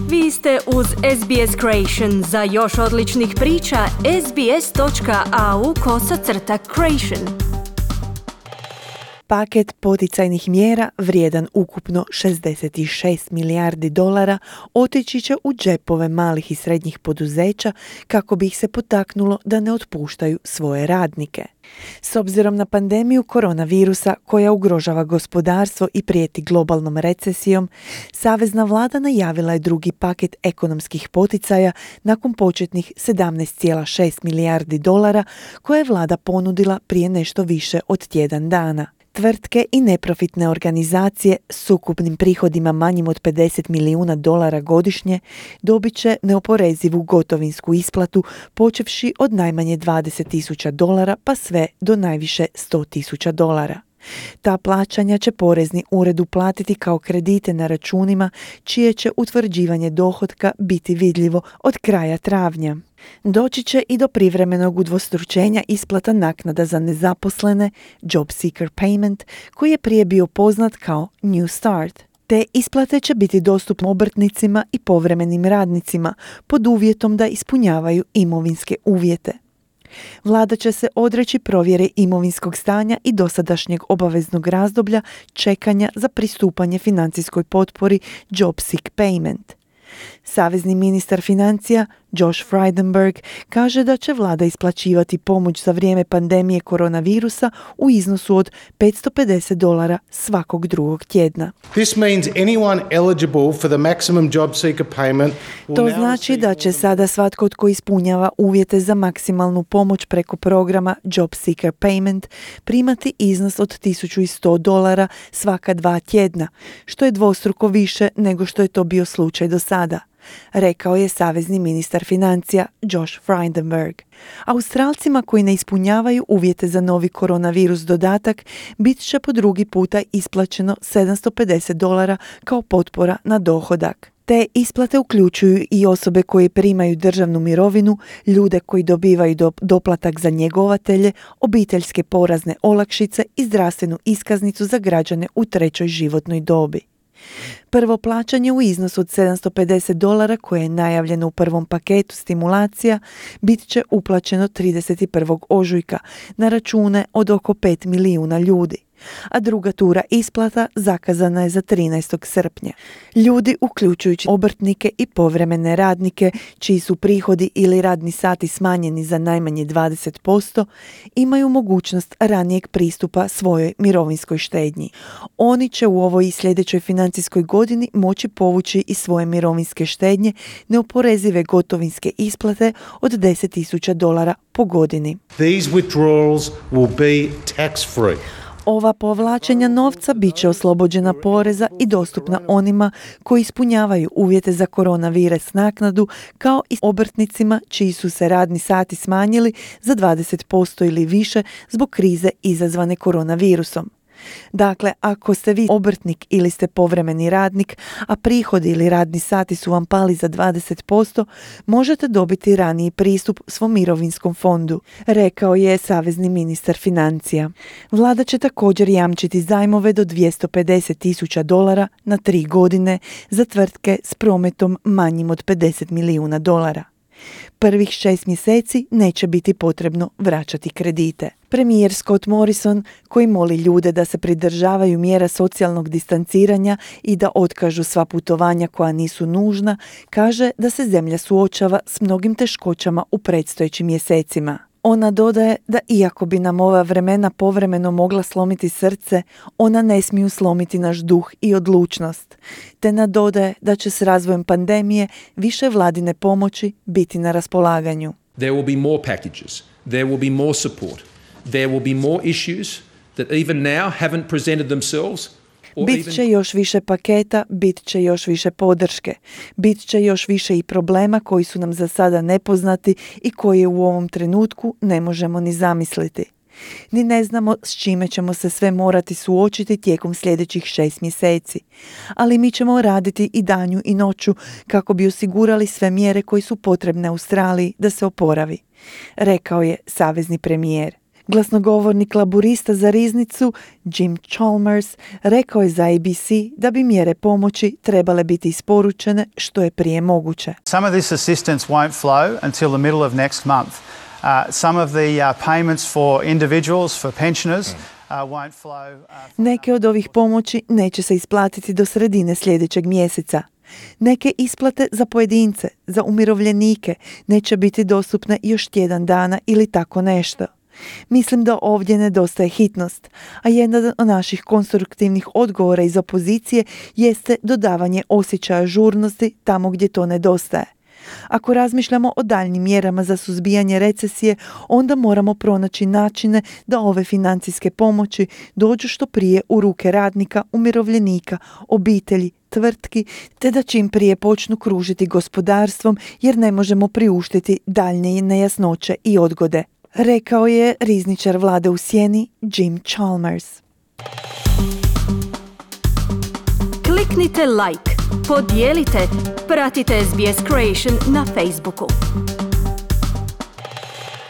Vi ste uz SBS Creation. Za još odličnih priča, sbs.au/creation. Paket poticajnih mjera vrijedan ukupno $66 milijardi otići će u džepove malih i srednjih poduzeća kako bi ih se potaknulo da ne otpuštaju svoje radnike. S obzirom na pandemiju koronavirusa koja ugrožava gospodarstvo i prijeti globalnom recesijom, savezna vlada najavila je drugi paket ekonomskih poticaja nakon početnih $17,6 milijardi koje je vlada ponudila prije nešto više od tjedan dana. Tvrtke i neprofitne organizacije s ukupnim prihodima manjim od $50 milijuna godišnje dobit će neoporezivu gotovinsku isplatu počevši od najmanje $20,000 pa sve do najviše $100,000. Ta plaćanja će porezni ured uplatiti kao kredite na računima čije će utvrđivanje dohotka biti vidljivo od kraja travnja. Doći će i do privremenog udvostručenja isplata naknada za nezaposlene, Job Seeker Payment, koji je prije bio poznat kao New Start. Te isplate će biti dostupne obrtnicima i povremenim radnicima pod uvjetom da ispunjavaju imovinske uvjete. Vlada će se odreći provjere imovinskog stanja i dosadašnjeg obaveznog razdoblja čekanja za pristupanje financijskoj potpori Job Seek Payment. Savezni ministar financija Josh Frydenberg kaže da će vlada isplaćivati pomoć za vrijeme pandemije koronavirusa u iznosu od $550 svakog drugog tjedna. This means anyone eligible for the maximum job seeker payment. To znači da će sada svatko tko ispunjava uvjete za maksimalnu pomoć preko programa Job Seeker Payment primati iznos od $1,100 svaka 2 tjedna, što je dvostruko više nego što je to bio slučaj do sada, rekao je savezni ministar financija Josh Frydenberg. Australcima koji ne ispunjavaju uvjete za novi koronavirus dodatak bit će po drugi puta isplaćeno $750 kao potpora na dohodak. Te isplate uključuju i osobe koje primaju državnu mirovinu, ljude koji dobivaju doplatak za njegovatelje, obiteljske porazne olakšice i zdravstvenu iskaznicu za građane u trećoj životnoj dobi. Prvo plaćanje u iznosu od $750 koje je najavljeno u prvom paketu stimulacija bit će uplaćeno 31. ožujka na račune od oko 5 milijuna ljudi, a druga tura isplata zakazana je za 13. srpnja. Ljudi, uključujući obrtnike i povremene radnike, čiji su prihodi ili radni sati smanjeni za najmanje 20%, imaju mogućnost ranijeg pristupa svojoj mirovinskoj štednji. Oni će u ovoj i sljedećoj financijskoj godini moći povući iz svoje mirovinske štednje neoporezive gotovinske isplate od $10,000 po godini. These withdrawals will be tax-free. Ova povlačenja novca bit će oslobođena poreza i dostupna onima koji ispunjavaju uvjete za koronavirus naknadu, kao i obrtnicima čiji su se radni sati smanjili za 20% ili više zbog krize izazvane koronavirusom. Dakle, ako ste vi obrtnik ili ste povremeni radnik, a prihodi ili radni sati su vam pali za 20%, možete dobiti raniji pristup svom mirovinskom fondu, rekao je savezni ministar financija. Vlada će također jamčiti zajmove do $250,000 na 3 godine za tvrtke s prometom manjim od $50 milijuna. Prvih 6 mjeseci neće biti potrebno vraćati kredite. Premijer Scott Morrison, koji moli ljude da se pridržavaju mjera socijalnog distanciranja i da otkažu sva putovanja koja nisu nužna, kaže da se zemlja suočava s mnogim teškoćama u predstojećim mjesecima. Ona dodaje da iako bi nam ova vremena povremeno mogla slomiti srce, ona ne smiju slomiti naš duh i odlučnost. Te nadodaje da će s razvojem pandemije više vladine pomoći biti na raspolaganju. There will be more packages. There will be more support. There will be more issues that even now haven't presented themselves. Bit će još više paketa, bit će još više podrške, bit će još više i problema koji su nam za sada nepoznati i koje u ovom trenutku ne možemo ni zamisliti. Ni ne znamo s čime ćemo se sve morati suočiti tijekom sljedećih 6 mjeseci, ali mi ćemo raditi i danju i noću kako bi osigurali sve mjere koje su potrebne Australiji da se oporavi, rekao je savezni premijer. Glasnogovornik laburista za riznicu Jim Chalmers rekao je za ABC da bi mjere pomoći trebale biti isporučene što je prije moguće. Some of this assistance won't flow until the middle of next month. Some of the payments for individuals, for pensioners, won't flow. Neke od ovih pomoći neće se isplatiti do sredine sljedećeg mjeseca. Neke isplate za pojedince, za umirovljenike neće biti dostupne još tjedan dana ili tako nešto. Mislim da ovdje nedostaje hitnost, a jedan od naših konstruktivnih odgovora iz opozicije jeste dodavanje osjećaja žurnosti tamo gdje to nedostaje. Ako razmišljamo o daljnjim mjerama za suzbijanje recesije, onda moramo pronaći načine da ove financijske pomoći dođu što prije u ruke radnika, umirovljenika, obitelji, tvrtki, te da čim prije počnu kružiti gospodarstvom jer ne možemo priuštiti daljnje nejasnoće i odgode, rekao je rizničar vlade u sjeni Jim Chalmers. Kliknite like, podijelite, pratite SBS Creation na Facebooku.